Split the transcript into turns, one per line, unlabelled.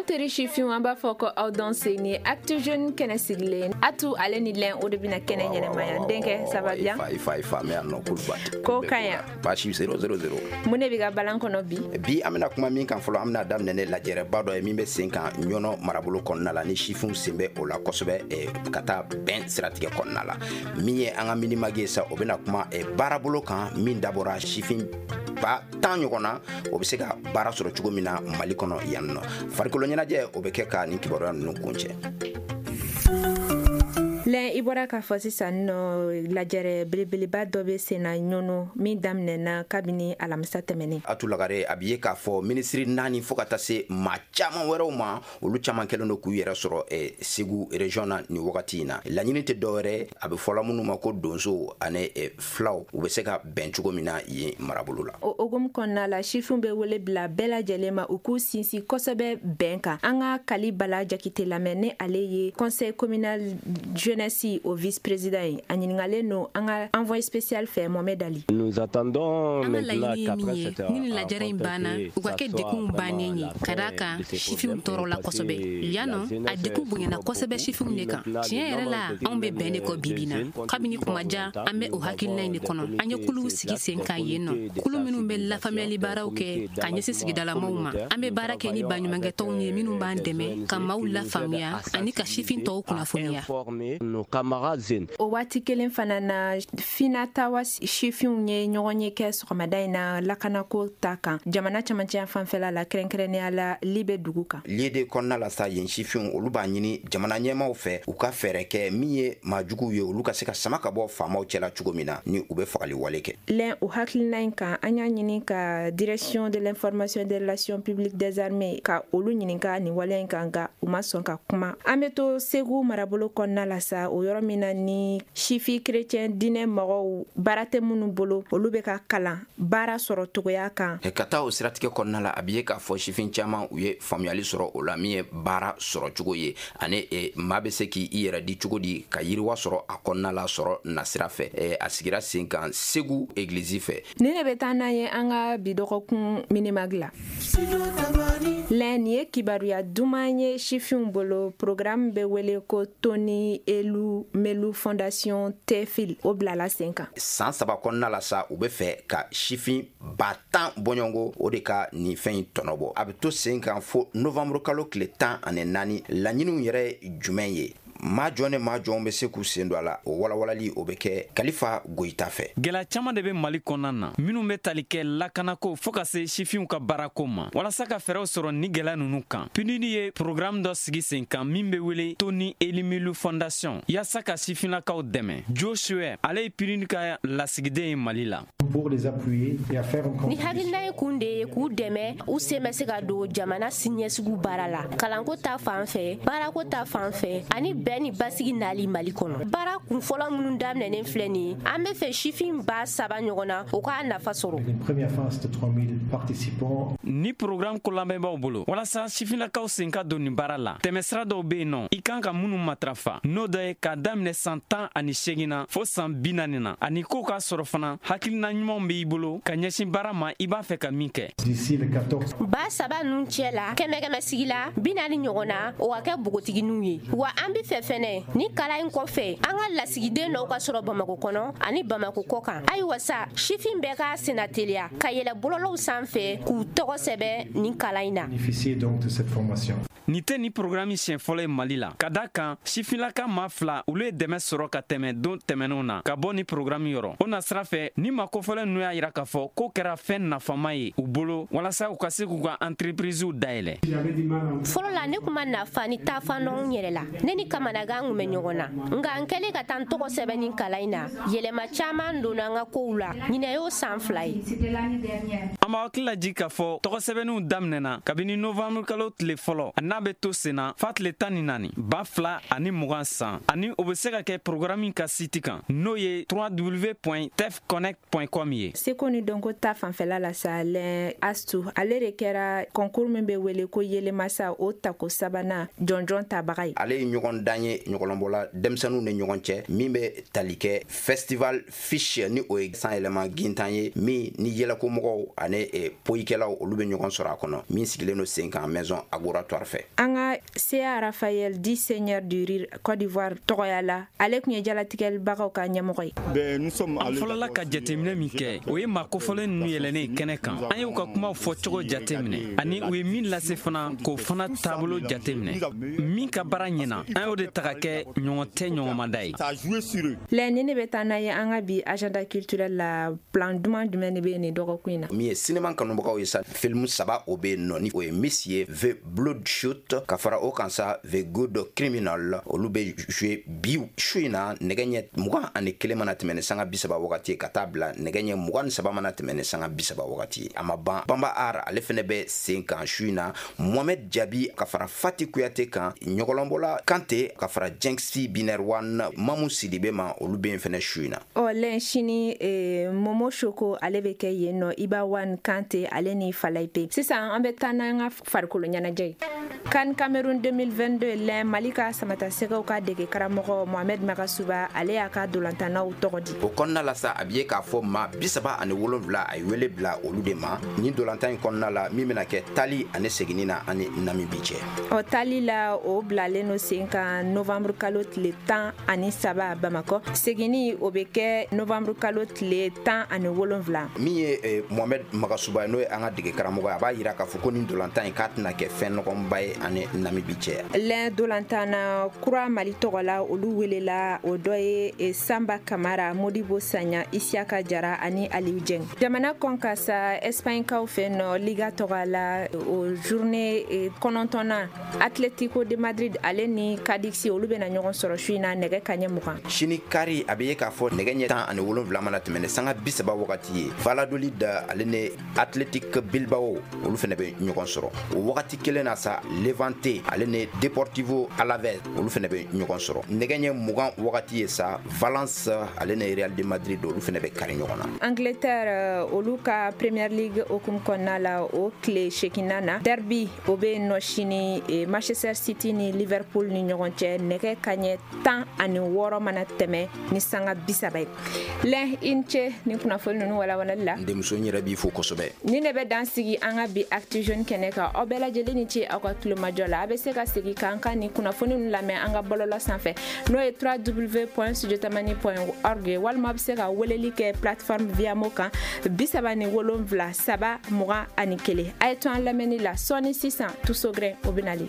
An teri sifinw, an b'a fɔ ko aw danse. Ni Actu Jeune kɛnɛ sigilen, Atu ale ni Lɛn, o de bɛna kɛnɛ ɲɛnɛmaya. N denkɛ, ça va bien?
I fa, i fa, mɛ yan nɔ Kulubali.
Ko ka ɲi.
Baasi 0 0 0.
Mun de bɛ ka balan kɔnɔ bi?
Bi, an bɛna kuma min kan fɔlɔ, an bɛna daminɛ ne lajɛrɛba dɔ ye min bɛ sen kan Ɲɔnɔ marabolo kɔnɔna la, ni sifinw sen bɛ o la kosɛbɛ, ka taa bɛn siratigɛ kɔnɔna la. Min ye an ka mini-mag ye sa, o bɛna kuma baarabolo kan min dabɔra sifin 10 000 ɲɔgɔn na, o bɛ se ka baara sɔrɔ cogo min na Mali kɔnɔ yan nɔ. Farikolo ɲɛnajɛ, o bɛ kɛ ka nin kibaruya ninnu kuncɛ.
Lɛn, i bɔra k'a fɔ sisan nɔ, lajɛrɛ belebeleba dɔ bɛ sen na Ɲɔnɔ min daminɛna kabini alamisa tɛmɛnen.
Atu Lagare, a bɛ ye k'a fɔ minisiri naani fo ka taa se maa caman wɛrɛw ma, olu caman kɛlen don k'u yɛrɛ sɔrɔ Segu région na nin wagati in na. Laɲini tɛ dɔwɛrɛ, a bɛ fɔla minnu ma ko donso ani filaw, u bɛ se ka bɛn cogo min na yen marabolo la.
O hokumu kɔnɔna la, sifinw bɛ wele bila bɛɛ lajɛlen ma, u k'u sinsin kosɛbɛ bɛn kan. An ka Kali Bala Jakite lamɛn, ni ale ye conseil communal jeunesse o vice président ye. A ɲininkalen don an ka envoyé spécial fɛ, Mohamed Ali.
Nous attendons.
An ka laɲini ye min ye, ni nin lajɛrɛ in banna, u ka kɛ dekunw bannen ye, ka d'a kan sifinw tɔɔrɔla kosɛbɛ yan nɔ. A dekun bonyana kosɛbɛ sifinw de kan. Tiɲɛ yɛrɛ la, anw bɛ bɛn de kɔ bibi na. Kabini kuma jan, an bɛ o hakilina in de kɔnɔ. An ye kuluw sigi sen kan yen nɔ, kulu minnu bɛ lafaamuyali baaraw kɛ ka ɲɛsin sigidalamaw ma. An bɛ baara kɛ ni baɲumankɛtɔnw ye minnu b'an dɛmɛ ka maaw lafaamuya ani ka sifin tɔw kunnafoniya.
O waati kelen fana na, Finatawa sifinw ye ɲɔgɔn ye kɛ sɔgɔmada in na lakanako ta kan jamana camancɛ fanfɛla la, kɛrɛnkɛrɛnnenya la Libe dugu kan.
Liede kɔnɔna la sa, yen sifinw, olu b'a ɲini jamana ɲɛmaw fɛ, u ka fɛɛrɛ kɛ min ye maajuguw ye, olu ka se ka sama ka bɔ faamaw cɛla cogo min na ni u bɛ fagali wale kɛ.
Lɛn, o hakilina in kan, an y'a ɲini ka Direction de l'information des relations publiques des armées ka olu ɲininka nin waleya in kan, nka u ma sɔn ka kuma. An bɛ to Segu marabolo kɔnɔna la sa, o yɔrɔ min na ni sifi chrétien diinɛ mɔgɔw, baara tɛ minnu bolo, olu bɛ ka kalan baara sɔrɔ togoya kan.
Ka taa o siratigɛ kɔnɔna la, a bɛ ye k'a fɔ sifin caman, u ye faamuyali sɔrɔ o la min ye baara sɔrɔ cogo ye, ani maa bɛ se k'i yɛrɛ di cogo di ka yiriwa sɔrɔ a kɔnɔna la sɔrɔ nasira fɛ. A sigira sen kan Segu egilizi fɛ.
Ni ne bɛ taa n'an ye an ka bi dɔgɔkun mini-mag la. Lɛn, nin ye kibaruya duman ye sifinw bolo. Programme bɛ wele ko Tony Elumelu Fondation, TEFIL, o bilala sen kan.
San 3 kɔnɔna la sa, u bɛ fɛ ka sifin 10 000 bɔɲɔgɔnko o de ka nin fɛn in tɔnɔ bɔ. A bɛ to sen kan fo novembre kalo tile 14. Laɲiniw yɛrɛ jumɛn ye? Maa jɔn ni maa jɔn bɛ se k'u sen don a la? O walawalali, o bɛ kɛ Kalifa Goyita fɛ.
Gɛlɛya caman de bɛ Mali kɔnɔna na minnu bɛ tali kɛ lakanako fɔɔ ka se sifinw ka baarako ma. Walasa ka fɛɛrɛw sɔrɔ ni gɛlɛya ninnu kan, PNUD ye programme dɔ sigi sen kan min bɛ wele Tony Elumelu Fondation, yaasa ka sifinlakaw dɛmɛ. Joshua, ale ye PNUD ka lasigiden ye Mali la.
Pour les appuyer et à faire
Ni hakilina ye kun de ye k'u dɛmɛ, u sen bɛ se ka don jamana siniɲɛsigiw baara la, kalanko ta fan fɛ, baarako ta fan fɛ, ani bɛn ni basigi nali Mali kɔnɔ. Baara kun fɔlɔ minnu daminɛnen filɛ nin ye, an bɛ fɛ sifin 3000 ɲɔgɔn na, o k'a nafa sɔrɔ.
Une première phase de 3000 participants.
Ni programme ko lamɛnbaaw bolo, walasa sifinlakaw sen ka don nin baara la, tɛmɛsira dɔw be yen nɔ i kan ka minnu matarafa, n'o dɔ ye k'a daminɛ san 18 na fo san 40 na, ani k'o k'a sɔrɔ fana hakilina ɲumanw b'i bolo ka ɲɛsin baara ma i b'a fɛ ka min kɛ.
D'ici le 14.
3000 ninnu cɛ la, kɛmɛ kɛmɛ sigi la 40 ɲɔgɔn na, o ka kɛ npogotigininw ye. Wa an be fɛ fɛnɛ, ni kalan in kɔfɛ, an ka lasigiden dɔw ka sɔrɔ Bamako kɔnɔ ani Bamako kɔ kan. Ayiwa sa, sifin bɛɛ k'a senna teliya ka yɛlɛ bɔlɔlɔw sanfɛ k'u tɔgɔ sɛbɛn nin kalan in na.
Bénéficier donc de cette formation.
Nin tɛ ni programme siɲɛ fɔlɔ ye Mali la, ka da kan sifinlaka maa fila, olu ye dɛmɛ sɔrɔ ka tɛmɛ don tɛmɛnenw na ka bɔ ni programme yɔrɔ. O nasira fɛ, ni ma kofɔlɛ ninnu y'a yira k'a fɔ k'o kɛra fɛn nafama ye u bolo walasa u ka se k'u ka entreprisew dayɛlɛ.
Fɔlɔ la, ne kun ma nafa ni taafan dɔn n yɛrɛ la. Ne ni kamanagan kun bɛ ɲɔgɔn na, nka n kɛlen ka taa n tɔgɔ sɛbɛn ni kalan in na, yɛlɛma caman donna n ka kow la. Ɲinɛ y'o san 2 ye.
An b'aw hakili lajigi k'a fɔ tɔgɔ sɛbɛnniw daminɛna kabini novembre kalo tile fɔlɔ, n'a bɛ to sen na fa tile 14 2020 san, ani o bɛ se ka kɛ programme ka site kan, n'o ye www.tefconnect.com ye.
Seko ni dɔnko ta fanfɛla la sa, Lɛn, Astu ale de kɛra concours min bɛ wele ko Yelemasa, o tako sabanan jɔnjɔn tabaga ye.
Ale ye ɲɔgɔn dan. ɲɔgɔndan ye ɲɔgɔlɔnbɔla denmisɛnninw ni ɲɔgɔn cɛ, min bɛ tali kɛ Festival Fiche, ni o ye san yɛlɛma gintan ye, min ni yɛlɛkomɔgɔw ani poyikɛlaw olu bɛ ɲɔgɔn sɔrɔ a kɔnɔ, min sigilen don sen kan Maison Agoratoire fɛ.
An ka CA Raphaël dit Seigneur du Rire Côte d'Ivoire tɔgɔya la, ale tun ye jalatigɛlibagaw ka ɲɛmɔgɔ ye.
An fɔlɔla ka jateminɛ min kɛ, o ye maa kofɔlen ninnu yɛlɛnnen kɛnɛ kan. An y'u ka kumaw fɔcogo jateminɛ ani u ye min lase fana, k'o fana taabolo jateminɛ. Min ka baara ɲɛna, an y'o de ta ka kɛ ɲɔgɔn tɛ ɲɔgɔnmada ye.
Lɛ ni ne bɛ taa n'a ye an ka bi agenda culturel la, plan duman jumɛn de bɛ nin dɔgɔkun in na?
Min ye sinema kanubagaw ye sa, film 3 o bɛ yen nɔ, ni o ye Miss ye, The Bloodshot, ka fara o kan sa The Good Criminal. Olu bɛ jouer bi su in na, nɛgɛ ɲɛ 21 mana tɛmɛ ni sanga 30 wagati, ka taa bila nɛgɛ ɲɛ 23 mana tɛmɛ ni sanga 30 wagati. A ma ban, Bamba Art ale fɛnɛ bɛ sen kan su in na, Mohamed Jabi ka fara Fati Kuyate kan, ɲɔgɔlɔnbɔla Kante ka fara Jenksi Binaire One, Mamu Sidibe ma, olu bɛ yen fɛnɛ su in na.
Ɔ lɛn sini, Momo Shoko ale bɛ kɛ yen nɔ, Iba One Kante ale ni Falayipe. Sisan an bɛ taa n'an ka farikolo ɲɛnajɛ ye. CAN Cameroun 2022, lɛn Mali ka samatasɛgɛw ka dege karamɔgɔ Mohamed Magasuba, ale y'a ka dolantannaw tɔgɔ di.
O kɔnɔna la sa, a bɛ ye k'a fɔ maa 37 a ye wele bila olu de ma nin dolantan in kɔnɔna la, min bɛna kɛ tali ani seginni na ani Namibi cɛ.
Ɔ tali la, o bilalen no sen kan novembre kalo tile 13 Bamakɔ. Seginni, o bɛ kɛ novembre kalo tile 17.
Min ye Mohamed Magasuba ye, n'o ye an ka dege karamɔgɔ ye, a b'a yira k'a fɔ ko nin dolantan in k'a tɛna kɛ fɛn nɔgɔnba ye ani Namibi cɛ.
Lɛn dolantan kura Mali tɔgɔ la, olu welela, o dɔ ye Samba Kamara, Modibo Sanya, Isiaka Jara ani Aliou Dieng. Jamana kɔn ka sa, Espagne kaw fɛ nɔ, Liga tɔgɔ la, o journée 9nan, Atletico de Madrid ale ni Cadix olu bɛna ɲɔgɔn sɔrɔ su in na nɛgɛ kaɲɛ 20.
Sini kari, a bɛ ye k'a fɔ nɛgɛ ɲɛ 17 mana tɛmɛ ni sanga 30 wagati ye, Valladolid ale ni Athletic Bilbao olu fana bɛ ɲɔgɔn sɔrɔ. O wagati kelen na sa, Levante ale ni Deportivo Alaves olu fana bɛ ɲɔgɔn sɔrɔ. Nɛgɛ ɲɛ 20 wagati ye sa, Valence ale ni Real de Madrid olu fana bɛ kari ɲɔgɔn na.
Angleterre olu ka Premier League hokumu kɔnɔna la, o tile 8nan na, derby o bɛ yen nɔ sini, Manchester City ni Liverpool ni ɲɔgɔn cɛ, nɛgɛ kaɲɛ 16 mana tɛmɛ ni sanga 30 ye. Lɛn, i ni ce ni kunnafoni ninnu walawalali la.
N denmuso, n yɛrɛ b'i fo kosɛbɛ.
Ni ne bɛ dan sigi an ka bi Actu Jeune kɛnɛ kan. Aw bɛɛ lajɛlen ni ce aw ka tulomajɔ la. A bɛ se ka segin k'an ka nin kunnafoni ninnu lamɛn an ka bɔlɔlɔ sanfɛ, n'o ye www.studiotamani.org ye, walima a bɛ se ka weleli kɛ plateforme Viamo kan 37 3 21. A ye to an lamɛnni la. Sɔɔni sisan, Tuso Grɛn o bɛ nalen.